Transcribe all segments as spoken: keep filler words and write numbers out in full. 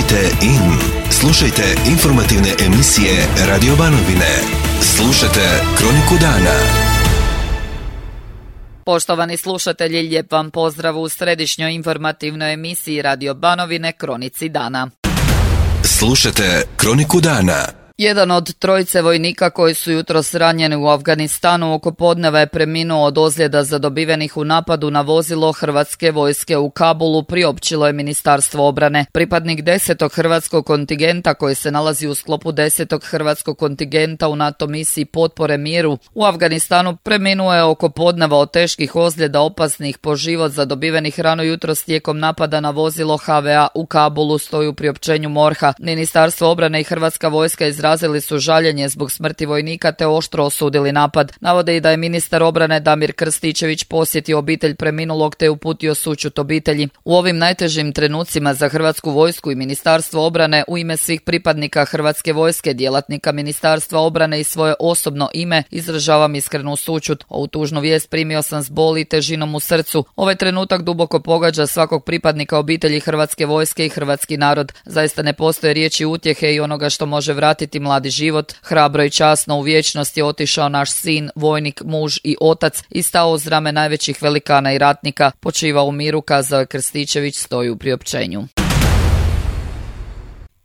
Tunite in. Slušajte informativne emisije Radio Banovine. Slušajte Kroniku dana. Poštovani slušatelji, lijep vam pozdrav u središnjoj informativnoj emisiji Radio Banovine Kronici dana. Slušajte Kroniku dana. Jedan od trojice vojnika koji su jutros ranjeni u Afganistanu oko podneva je preminuo od ozljeda zadobivenih u napadu na vozilo Hrvatske vojske u Kabulu, priopćilo je Ministarstvo obrane. Pripadnik desetog hrvatskog kontingenta koji se nalazi u sklopu desetog hrvatskog kontingenta u NATO misiji potpore miru u Afganistanu preminuo je oko podneva od teških ozljeda opasnih po život zadobivenih rano jutros tijekom napada na vozilo H V A u Kabulu, stoji u priopćenju MORH-a. Ministarstvo obrane i Hrvatska vojska iz izrazili su žaljenje zbog smrti vojnika te oštro osudili napad. Navode i da je ministar obrane Damir Krstičević posjetio obitelj preminulog te uputio sućut obitelji. U ovim najtežim trenucima za Hrvatsku vojsku i Ministarstvo obrane u ime svih pripadnika Hrvatske vojske, djelatnika Ministarstva obrane i svoje osobno ime izražavam iskrenu sućut. Ovu tužnu vijest primio sam s boli i težinom u srcu. Ovaj trenutak duboko pogađa svakog pripadnika obitelji Hrvatske vojske i hrvatski narod. Zaista ne postoje riječi utjehe i onoga što može vratiti mladi život. Hrabro i časno u vječnost je otišao naš sin, vojnik, muž i otac i stao uz rame najvećih velikana i ratnika. Počiva u miru, kazao je Krstičević, stoji u priopćenju.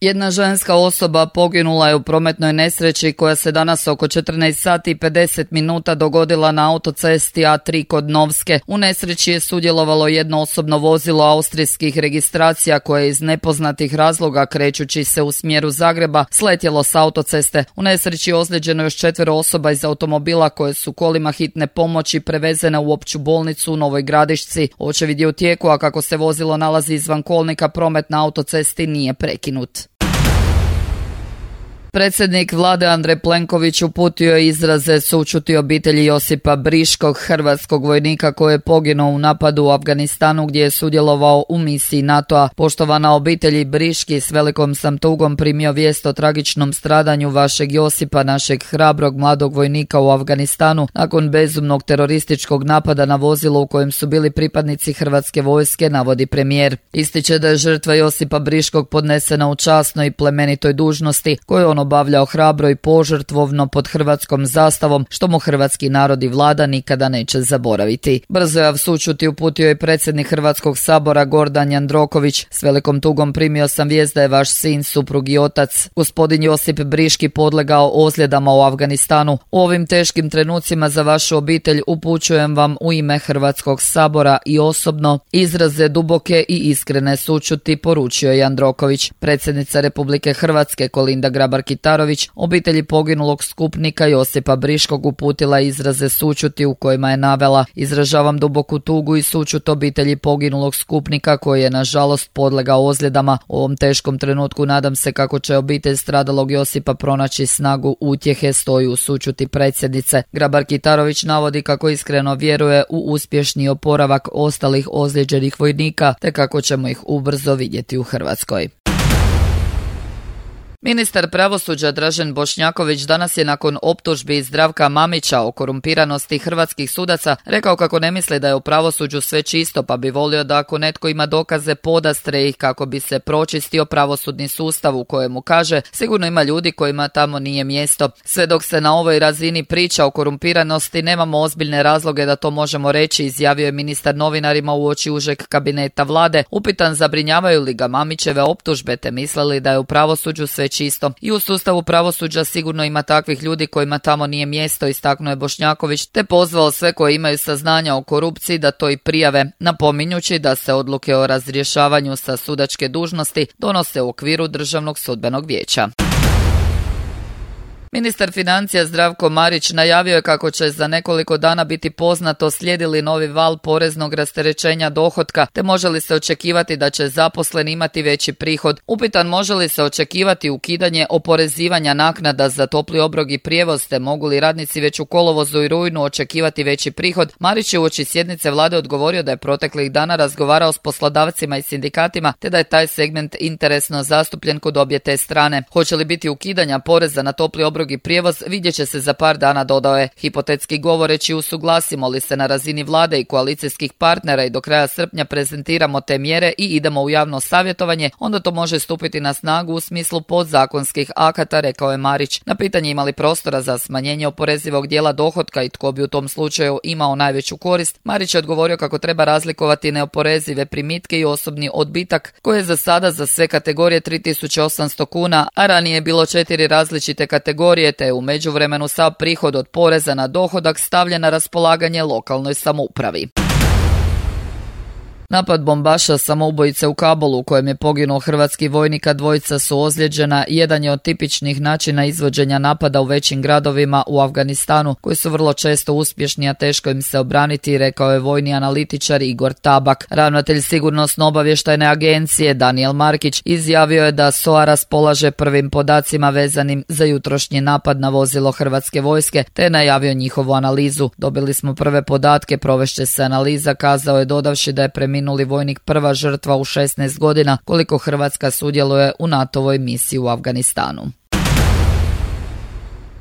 Jedna ženska osoba poginula je u prometnoj nesreći koja se danas oko četrnaest sati i pedeset minuta dogodila na autocesti A tri kod Novske. U nesreći je sudjelovalo jedno osobno vozilo austrijskih registracija koje je iz nepoznatih razloga krećući se u smjeru Zagreba sletjelo s autoceste. U nesreći je ozlijeđeno još četvero osoba iz automobila koje su kolima hitne pomoći prevezene u opću bolnicu u Novoj Gradišci. Očevid je u tijeku, a kako se vozilo nalazi izvan kolnika, promet na autocesti nije prekinut. Predsjednik vlade Andrej Plenković uputio je izraze sućuti obitelji Josipa Briškog, hrvatskog vojnika koji je poginuo u napadu u Afganistanu gdje je sudjelovao u misiji NATO-a. Poštovana obitelji Briški, s velikom sam tugom primio vijest o tragičnom stradanju vašeg Josipa, našeg hrabrog mladog vojnika u Afganistanu nakon bezumnog terorističkog napada na vozilo u kojem su bili pripadnici Hrvatske vojske, navodi premijer. Ističe da je žrtva Josipa Briškog podnesena u časnoj i plemenitoj dužnosti koju on obavljao hrabro i požrtvovno pod hrvatskom zastavom, što mu hrvatski narod i vlada nikada neće zaboraviti. Brzojav sućut je uputio i predsjednik Hrvatskog sabora Gordan Jandroković. S velikom tugom primio sam vijest da je vaš sin, suprug i otac, gospodin Josip Briški, podlegao ozljedama u Afganistanu. U ovim teškim trenucima za vašu obitelj upućujem vam u ime Hrvatskog sabora i osobno izraze duboke i iskrene sućuti, poručio je Jandroković. Predsjednica Republike Hrvatske Kolinda Grabar-Kitarović obitelji poginulog skupnika Josipa Briškog uputila izraze sućuti u kojima je navela: izražavam duboku tugu i sućut obitelji poginulog skupnika koji je nažalost podlegao ozljedama. U ovom teškom trenutku nadam se kako će obitelj stradalog Josipa pronaći snagu utjehe, stoji u sućuti predsjednice. Grabar-Kitarović navodi kako iskreno vjeruje u uspješni oporavak ostalih ozlijeđenih vojnika te kako ćemo ih ubrzo vidjeti u Hrvatskoj. Ministar pravosuđa Dražen Bošnjaković danas je nakon optužbi Zdravka Mamića o korumpiranosti hrvatskih sudaca rekao kako ne misli da je u pravosuđu sve čisto, pa bi volio da ako netko ima dokaze podastre ih kako bi se pročistio pravosudni sustav u kojemu, kaže, sigurno ima ljudi kojima tamo nije mjesto. Sve dok se na ovoj razini priča o korumpiranosti nemamo ozbiljne razloge da to možemo reći, izjavio je ministar novinarima uoči užeg kabineta vlade. Upitan zabrinjavaju li ga Mamićeve optužbe te mislili da je u pravosuđu sve čisto. I u sustavu pravosuđa sigurno ima takvih ljudi kojima tamo nije mjesto, istaknuo je Bošnjaković, te pozvao sve koji imaju saznanja o korupciji da to i prijave, napominjući da se odluke o razrješavanju sa sudačke dužnosti donose u okviru Državnog sudbenog vijeća. Ministar financija Zdravko Marić najavio je kako će za nekoliko dana biti poznato slijedi li novi val poreznog rasterećenja dohotka, te može li se očekivati da će zaposleni imati veći prihod. Upitan može li se očekivati ukidanje oporezivanja naknada za topli obrok i prijevoz, te mogu li radnici već u kolovozu i rujnu očekivati veći prihod, Marić je uoči sjednice vlade odgovorio da je proteklih dana razgovarao s poslodavcima i sindikatima, te da je taj segment interesno zastupljen kod obje te strane. Hoće li biti ukidanja poreza na topli obrok obrok i prijevoz vidjet će se za par dana, dodao je. Hipotetski govoreći, usuglasimo li se na razini vlade i koalicijskih partnera i do kraja srpnja prezentiramo te mjere i idemo u javno savjetovanje, onda to može stupiti na snagu u smislu podzakonskih akata, rekao je Marić. Na pitanje imali prostora za smanjenje oporezivog dijela dohotka i tko bi u tom slučaju imao najveću korist, Marić je odgovorio kako treba razlikovati neoporezive primitke i osobni odbitak, koji je za sada za sve kategorije tri tisuće osamsto kuna, a ranije je bilo četiri različite kategorije, te je u međuvremenu sav prihod od poreza na dohodak stavljen na raspolaganje lokalnoj samoupravi. Napad bombaša samoubojice u Kabulu u kojem je poginuo hrvatski vojnik, a dvojica su ozlijeđena, jedan je od tipičnih načina izvođenja napada u većim gradovima u Afganistanu, koji su vrlo često uspješni, a teško im se obraniti, rekao je vojni analitičar Igor Tabak. Ravnatelj sigurnosno-obavještajne agencije Daniel Markić izjavio je da S O A raspolaže prvim podacima vezanim za jutrošnji napad na vozilo hrvatske vojske, te je najavio njihovu analizu. Dobili smo prve podatke, provešće se analiza, kazao je, dodavši da je preminuli vojnik prva žrtva u šesnaest godina koliko Hrvatska sudjeluje u NATO-voj misiji u Afganistanu.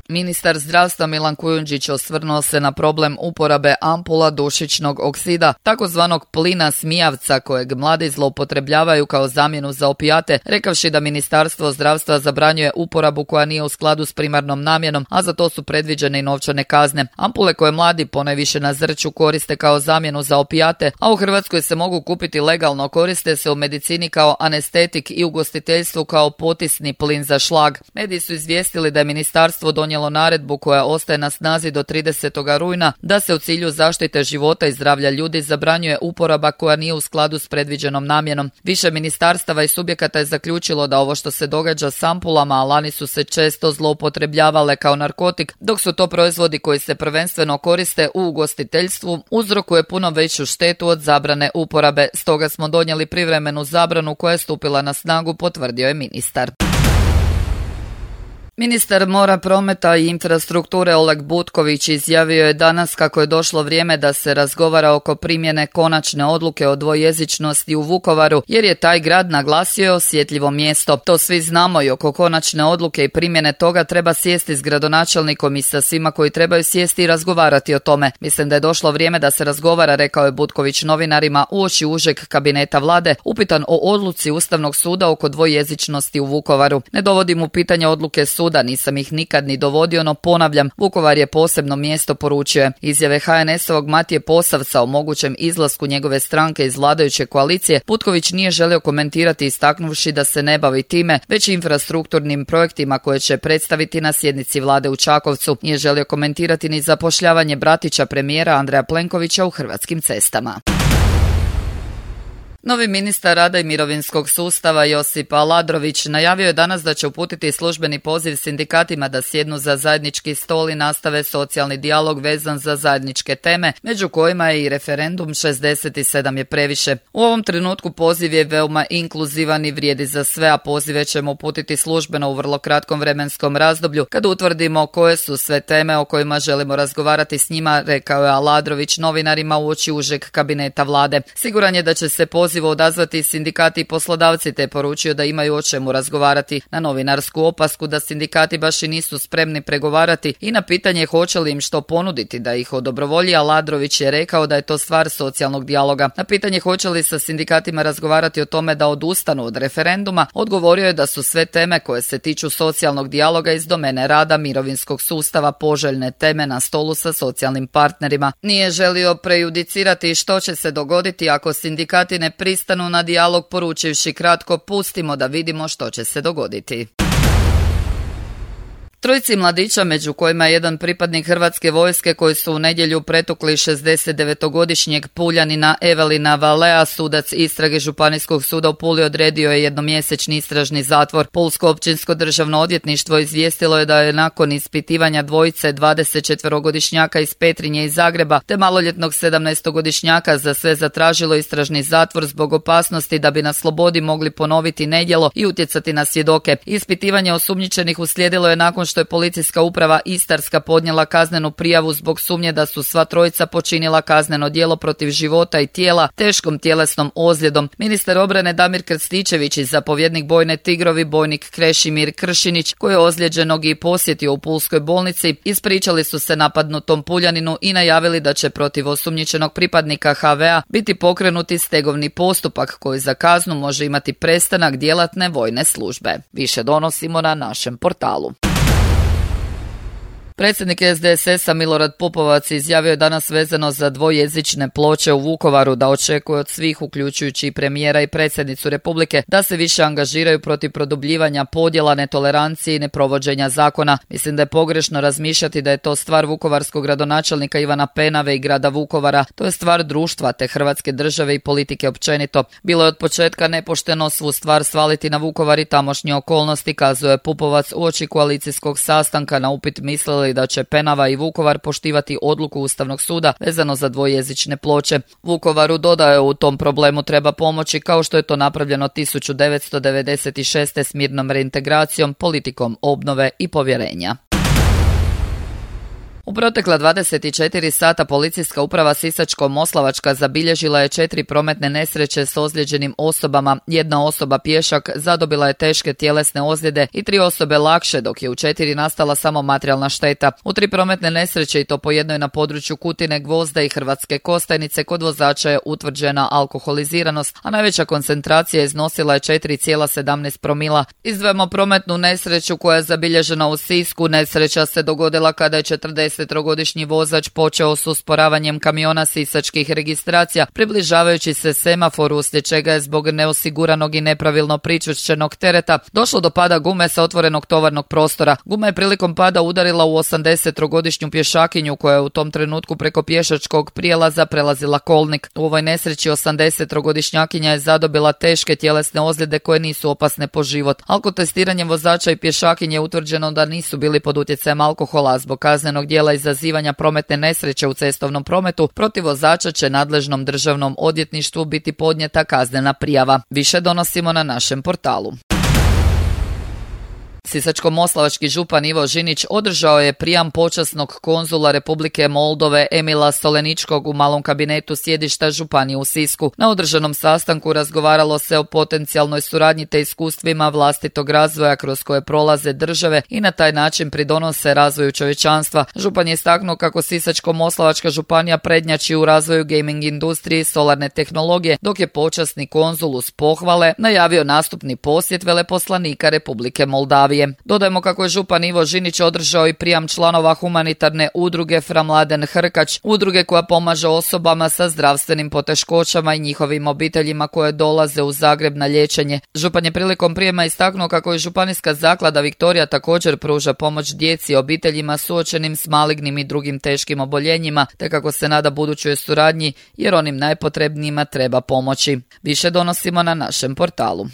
Ministar zdravstva Milan Kujundžić osvrnuo se na problem uporabe ampula dušičnog oksida, takozvanog plina smijavca kojeg mladi zloupotrebljavaju kao zamjenu za opijate, rekavši da Ministarstvo zdravstva zabranjuje uporabu koja nije u skladu s primarnom namjenom, a za to su predviđene i novčane kazne. Ampule koje mladi ponajviše na Zrću koriste kao zamjenu za opijate, a u Hrvatskoj se mogu kupiti legalno, koriste se u medicini kao anestetik i ugostiteljstvu kao potisni plin za šlag. Mediji su izvijestili da je ministarstvo donijelo naredbu koja ostaje na snazi do tridesetog rujna, da se u cilju zaštite života i zdravlja ljudi zabranjuje uporaba koja nije u skladu s predviđenom namjenom. Više ministarstava i subjekata je zaključilo da ovo što se događa s ampulama, a lani su se često zloupotrebljavale kao narkotik, dok su to proizvodi koji se prvenstveno koriste u ugostiteljstvu, uzrokuje puno veću štetu od zabrane uporabe. Stoga smo donijeli privremenu zabranu koja je stupila na snagu, potvrdio je ministar. Ministar mora, prometa i infrastrukture Oleg Butković izjavio je danas kako je došlo vrijeme da se razgovara oko primjene konačne odluke o dvojezičnosti u Vukovaru, jer je taj grad, naglasio, osjetljivo mjesto. To svi znamo i oko konačne odluke i primjene toga treba sjesti s gradonačelnikom i sa svima koji trebaju sjesti i razgovarati o tome. Mislim da je došlo vrijeme da se razgovara, rekao je Butković novinarima uoči užeg kabineta vlade, upitan o odluci Ustavnog suda oko dvojezičnosti u Vukovaru. Ne dovodim u pitanje odluke suda, da nisam ih nikad ni dovodio, no ponavljam, Vukovar je posebno mjesto, poručio je. Izjave H N S-ovog Matije Posavca o mogućem izlasku njegove stranke iz vladajuće koalicije Butković nije želio komentirati, istaknuvši da se ne bavi time, već infrastrukturnim projektima koje će predstaviti na sjednici vlade u Čakovcu. Nije želio komentirati ni zapošljavanje bratića premijera Andreja Plenkovića u Hrvatskim cestama. Novi ministar rada i mirovinskog sustava Josip Aladrović najavio je danas da će uputiti službeni poziv sindikatima da sjednu za zajednički stol i nastave socijalni dijalog vezan za zajedničke teme, među kojima je i referendum šezdeset sedam je previše. U ovom trenutku poziv je veoma inkluzivan i vrijedi za sve, a pozive ćemo uputiti službeno u vrlo kratkom vremenskom razdoblju kad utvrdimo koje su sve teme o kojima želimo razgovarati s njima, rekao je Aladrović novinarima uoči užeg kabineta vlade. Siguran je da će se poziv odazvati sindikati i poslodavci, te je poručio da imaju o čemu razgovarati. Na novinarsku opasku da sindikati baš i nisu spremni pregovarati i na pitanje hoće li im što ponuditi da ih odobrovolji, Aladrović je rekao da je to stvar socijalnog dijaloga. Na pitanje hoće li sa sindikatima razgovarati o tome da odustanu od referenduma, odgovorio je da su sve teme koje se tiču socijalnog dijaloga iz domene rada, mirovinskog sustava, poželjne teme na stolu sa socijalnim partnerima. Nije želio prejudicirati što će se dogoditi ako sindikati ne pristanu na dijalog, poručivši kratko: pustimo da vidimo što će se dogoditi. Trojici mladića, među kojima je jedan pripadnik Hrvatske vojske koji su u nedjelju pretukli šezdesetdevetogodišnjeg Puljanina Evelina Valea, sudac istrage Županijskog suda u Puli odredio je jednomjesečni istražni zatvor. Pulsko općinsko državno odvjetništvo izvijestilo je da je nakon ispitivanja dvojice dvadesetčetverogodišnjaka iz Petrinje i Zagreba te maloljetnog sedamnaestogodišnjaka za sve zatražilo istražni zatvor zbog opasnosti da bi na slobodi mogli ponoviti nedjelo i utjecati na svjedoke. Ispitivanje osumnjičenih uslijedilo je nakon što što je policijska uprava Istarska podnijela kaznenu prijavu zbog sumnje da su sva trojica počinila kazneno djelo protiv života i tijela teškom tjelesnom ozljedom. Ministar obrane Damir Krstičević i zapovjednik bojne Tigrovi bojnik Krešimir Kršinić, koji je ozlijeđenog i posjetio u pulskoj bolnici, ispričali su se napadnutom Puljaninu i najavili da će protiv osumnjičenog pripadnika ha ve a biti pokrenuti stegovni postupak koji za kaznu može imati prestanak djelatne vojne službe. Više donosimo na našem portalu. Predsjednik es de es es a Milorad Pupovac izjavio je danas vezano za dvojezične ploče u Vukovaru da očekuje od svih, uključujući i premijera i predsjednicu Republike, da se više angažiraju protiv produbljivanja podjela, netolerancije i neprovođenja zakona. Mislim da je pogrešno razmišljati da je to stvar vukovarskog gradonačelnika Ivana Penave i grada Vukovara. To je stvar društva te Hrvatske države i politike općenito. Bilo je od početka nepošteno svu stvar svaliti na Vukovar i tamošnje okolnosti, kazuje Pupovac uoči koalicijskog sastanka na upit mislili da će Penava i Vukovar poštivati odluku Ustavnog suda vezano za dvojezične ploče. Vukovaru, dodaje, u tom problemu treba pomoći kao što je to napravljeno tisuću devetsto devedeset šeste s mirnom reintegracijom, politikom obnove i povjerenja. U protekla dvadeset četiri sata policijska uprava Sisačko-Moslavačka zabilježila je četiri prometne nesreće s ozlijeđenim osobama. Jedna osoba pješak zadobila je teške tjelesne ozljede i tri osobe lakše, dok je u četiri nastala samo materijalna šteta. U tri prometne nesreće, i to po jednoj na području Kutine, Gvozda i Hrvatske Kostajnice, kod vozača je utvrđena alkoholiziranost, a najveća koncentracija iznosila je četiri zarez sedamnaest promila. Izdvajamo prometnu nesreću koja je zabilježena u Sisku. Nesreća se dogodila kada je četrdesettrogodišnji vozač počeo s usporavanjem kamiona sisačkih registracija, približavajući se semaforu, uslijed čega je zbog neosiguranog i nepravilno pričvršćenog tereta došlo do pada gume sa otvorenog tovarnog prostora. Guma je prilikom pada udarila u osamdesettrogodišnju pješakinju koja je u tom trenutku preko pješačkog prijelaza prelazila kolnik. U ovoj nesreći osamdesettrogodišnjakinja je zadobila teške tjelesne ozljede koje nisu opasne po život. Alkotestiranjem vozača i pješakinje je utvrđeno da nisu bili pod utjecajem alkohola. Zbog kaznenog djela izazivanja prometne nesreće u cestovnom prometu protiv vozača će nadležnom državnom odvjetništvu biti podnijeta kaznena prijava. Više donosimo na našem portalu. Sisačko-moslavački župan Ivo Žinić održao je prijam počasnog konzula Republike Moldove Emila Soleničkog u malom kabinetu sjedišta županije u Sisku. Na održanom sastanku razgovaralo se o potencijalnoj suradnji te iskustvima vlastitog razvoja kroz koje prolaze države i na taj način pridonose razvoju čovječanstva. Župan je istaknuo kako Sisačko-moslavačka županija prednjači u razvoju gaming industrije i solarne tehnologije, dok je počasni konzul uz pohvale najavio nastupni posjet veleposlanika Republike Moldavije. Dodajemo kako je župan Ivo Žinić održao i prijam članova humanitarne udruge Fra Mladen Hrkač, udruge koja pomaže osobama sa zdravstvenim poteškoćama i njihovim obiteljima koje dolaze u Zagreb na liječenje. Župan je prilikom prijema istaknuo kako je županijska zaklada Viktorija također pruža pomoć djeci i obiteljima suočenim s malignim i drugim teškim oboljenjima, te kako se nada budućoj suradnji jer onim najpotrebnijima treba pomoći. Više donosimo na našem portalu.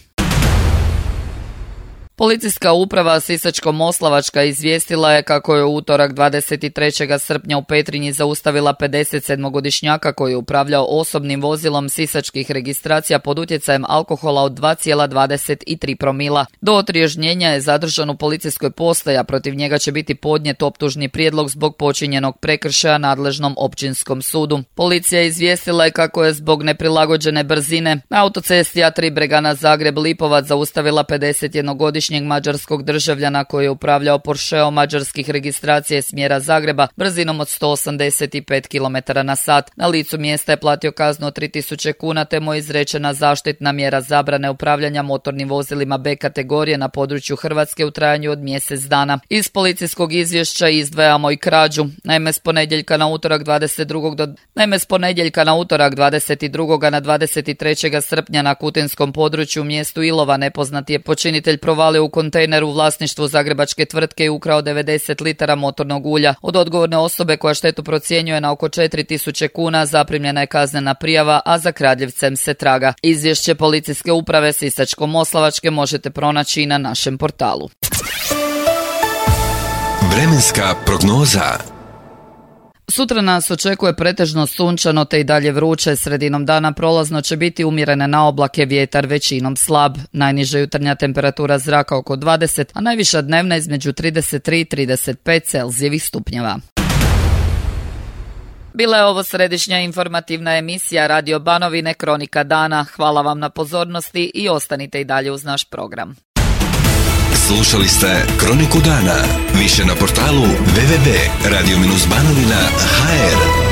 Policijska uprava Sisačko-moslavačka izvijestila je kako je u utorak dvadeset trećeg srpnja u Petrinji zaustavila pedesetsedmogodišnjaka koji je upravljao osobnim vozilom sisačkih registracija pod utjecajem alkohola od dva zarez dvadeset tri promila. Do otriježnjenja je zadržan u policijskoj postaji, a protiv njega će biti podnijet optužni prijedlog zbog počinjenog prekršaja nadležnom općinskom sudu. Policija izvijestila je kako je zbog neprilagođene brzine na autocesti A tri Bregana Zagreb-Lipovac zaustavila pedesetjednogodišnjeg mađarskog državljana koji je upravljao Porscheom mađarskih registracija smjera Zagreba brzinom od sto osamdeset pet kilometara na sat. Na licu mjesta je platio kaznu od tri tisuće kuna te mu je izrečena zaštitna mjera zabrane upravljanja motornim vozilima B kategorije na području Hrvatske u trajanju od mjesec dana. Iz policijskog izvješća izdvajamo i krađu. Naime, s ponedjeljka na utorak dvadeset drugog do Naime, s ponedjeljka na utorak dvadeset drugog na dvadeset trećeg srpnja na kutinskom području u mjestu Ilova nepoznati je počinitelj provalio u kontejner u vlasništvu zagrebačke tvrtke i ukrao devedeset litara motornog ulja. Od odgovorne osobe koja štetu procjenjuje na oko četiri tisuće kuna zaprimljena je kaznena prijava, a za kradljivcem se traga. Izvješće policijske uprave Sisačko-moslavačke možete pronaći i na našem portalu. Vremenska prognoza. Sutra nas očekuje pretežno sunčano te i dalje vruće, sredinom dana prolazno će biti umjerene na oblake, vjetar većinom slab. Najniža jutarnja temperatura zraka oko dvadeset, a najviša dnevna između trideset tri i trideset pet Celzijevih stupnjeva. Bila je ovo središnja informativna emisija Radio Banovine Kronika dana. Hvala vam na pozornosti i ostanite i dalje uz naš program. Slušali ste Kroniku dana. Više na portalu w w w tačka radio banovina tačka h r.